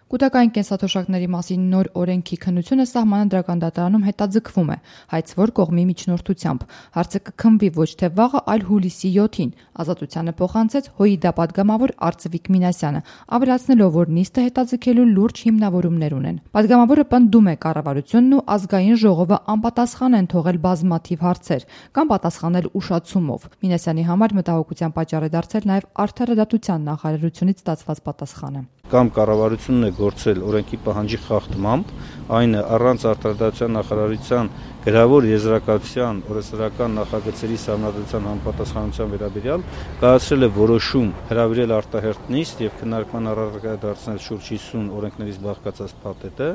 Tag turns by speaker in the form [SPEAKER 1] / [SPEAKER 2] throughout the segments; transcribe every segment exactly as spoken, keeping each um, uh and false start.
[SPEAKER 1] Կուտակային կենսաթոշակների մասին նոր օրենքի քննությունը Սահմանադրական դատարանում հետաձգվում է, հայց որ կողմի միջնորդությամբ։ Հարցը կքննվի ոչ թե վաղը, այլ հուլիսի յոթին։ Ազատությանը փոխանցեց ՀՅԴ պատգամավոր Արծվիկ Մինասյանը, ավելացնելով, որ նիստը հետաձգելու լուրջ հիմնավորումներ ունեն։ Պատգամավորը պնդում է, կառավարությունն ու ազգային ժողովը անպատասխան են թողել բազմաթիվ հարցեր կամ պատասխանել ուշացումով։ Մինասյանի համար մտահոգության պատճառ է դարձել նաև Արդարադատության նախարարությունից ստացված պատասխանը։
[SPEAKER 2] Կամ կառավարությունն է գործել օրենքի պահանջի խախտմամբ, այն առանց Արդարադատության նախարարության գրավոր եզրակացության օրենսդրական նախագծերի սահմանադրության համապատասխանության վերաբերյալ կայացրել է որոշում հրավիրել արտահերթ նիստ եւ քննարկման առարկա դարձնել շուրջ հիսուն օրենքներից բաղկացած փաթեթը,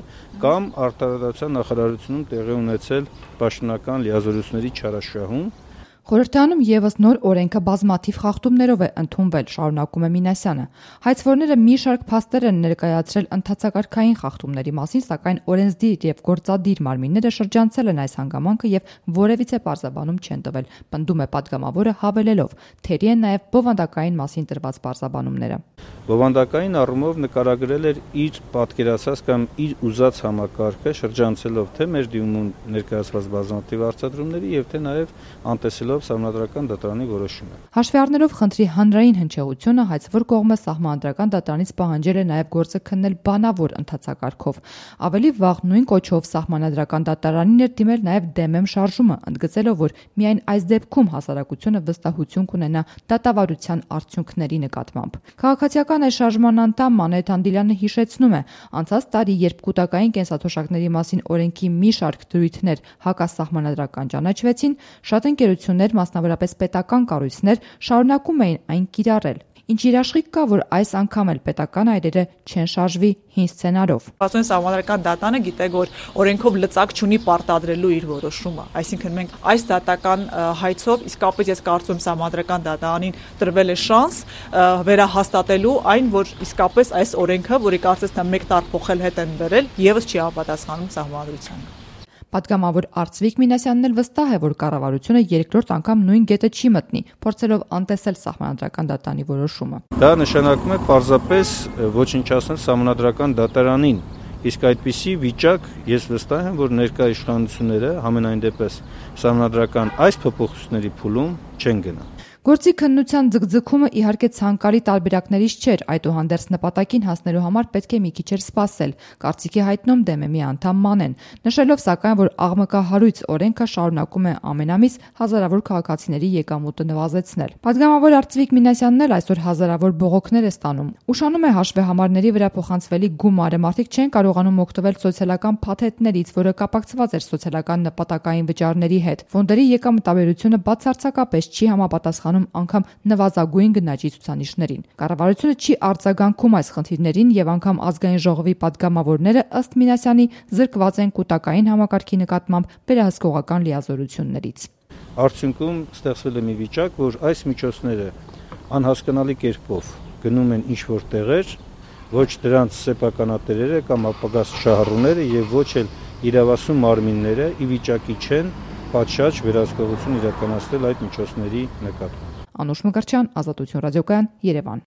[SPEAKER 2] կամ Արդարադատության նախարարությունում տեղի ունեցել պաշտոնական լիազորությունների չարաշահում։
[SPEAKER 1] Խորհրդարանում ևս նոր օրենքը բազմաթիվ խախտումներով է ընդունվել, շարունակում է Մինասյանը։ Հայցվորները մի շարք փաստեր են ներկայացրել ընթացակարգային խախտումների մասին, սակայն օրենսդիր եւ գործադիր մարմինները շրջանցել են այս հանգամանքը եւ որևիցե պարզաբանում չեն տվել, պնդում է պատգամավորը, հավելելով, թերի են նաեւ բովանդակային մասին տրված պարզաբանումները։
[SPEAKER 2] Բովանդակային առումով նկարագրել էր իր պատկերացած կամ իր ուզած համակարգը, շրջանցելով թե մեր դիմումում ներկայացված բազմաթիվ հարցադրումների եւ թե նաեւ անտեսելով Սահմանադրական դատարանի որոշումը։
[SPEAKER 1] Հաշվի առնելով խնդրի հանրային հնչեղությունը, հայցվոր կողմը Սահմանադրական դատարանից պահանջել է նաև գործը քննել բանավոր ընթացակարգով։ Ավելի վաղ նույն կոչով Սահմանադրական դատարանին էր դիմել նաև ԴՄ շարժումը, ընդգծելով, որ միայն այս դեպքում հասարակությունը վստահություն կունենա դատավարության արդյունքների նկատմամբ։ Քաղաքացիական այս շարժման անդամ Մանեթ Անդիլյանը հիշեցնում է, անցած տարի, երբ կուտակային կենսաթոշակների մասին օրենքի մի շարք դրույթներ հակասահմանադրական ճանաչվեցին, շատ ընկերություններ, մասնավորապես պետական կառույցներ, շարունակում էին այն կիրառել։ Ինչ երաշխիք կա, որ այս անգամ էլ պետական այրերը չեն շարժվի հին սցենարով։
[SPEAKER 3] Ասում են Սահմանադրական դատարանը գիտե, որ օրենքով լծակ չունի պարտադրելու իր որոշումը։ Այսինքն մենք այս դատական հայցով իսկապես ես կարծում եմ Սահմանադրական դատարանին տրվել է շանս վերահաստատելու այն, որ իսկապես այս օրենքը, որի կարծես թե մեկ տար փոխել հետ են բերել, եւս չի համապատասխանում Սահմանադրությանը։
[SPEAKER 1] Պատգամավոր Արծվիկ Մինասյանն էլ վստահ է, որ կառավարությունը երկրորդ անգամ նույն գետը չի մտնի, փորձելով անտեսել Սահմանադրական դատարանի որոշումը։
[SPEAKER 2] Դա նշանակում է պարզապես ոչնչացնել Սահմանադրական դատարանին, իսկ այդպիսի վիճակ ես վստահ եմ, որ ներկա իշխանությունները համենայն դեպս Սահմանադրական այս փոփոխությունների փուլում չեն գնա։
[SPEAKER 1] Գործի քննության ձգձգումը իհարկե ցանկալի տարբերակներից չէր, այդուհանդերձ նպատակին հասնելու համար պետք է մի քիչ սպասել, կարծիքի հայտնում ԴՄ-ի անդամ Մանեն, նշելով սակայն, որ աղմկահարույց օրենքը շարունակում է ամենամիս հազարավոր քաղաքացիների եկամուտը նվազեցնել։ Պատգամավոր Արծվիկ Մինասյանն էլ այսօր հազարավոր բողոքներ է ստանում։ Ուշանում է հաշվեհամարների վրա փոխանցվելի գումարը, մարդիկ չեն կարողանում օգտվել սոցիալական փաթեթներից, որը կապակցված էր սոցիալական նպատակային վճարների հետ։ Ֆոնդերի եկամտաբերությունը բացարձակապես չի համապատասխանում անգամ նվազագույն գնաճի ցուցանիշներին։ Կառավարությունը չի արձագանքում այս խնդիրներին եւ անգամ ազգային ժողովի падգամավորները ըստ Մինասյանի զրկված են կուտակային համակարգի նկատմամբ վերահսկողական լիազորություններից։
[SPEAKER 2] Արդյունքում ստեղծվել է մի վիճակ, որ այս միջոցները անհասկանալի կերպով գնում են ինչ-որ տեղեր, ոչ դրանց սեփականատերերը կամ ապագա շահառուները եւ ոչ էլ իրավասու մարմինները ի վիճակի չեն պատշաճ վերահսկողություն իրականացնել այդ միջոցների նկատմամբ։
[SPEAKER 1] Անուշ Մկրտչյան, Ազատություն ռադիոկայան, Երևան։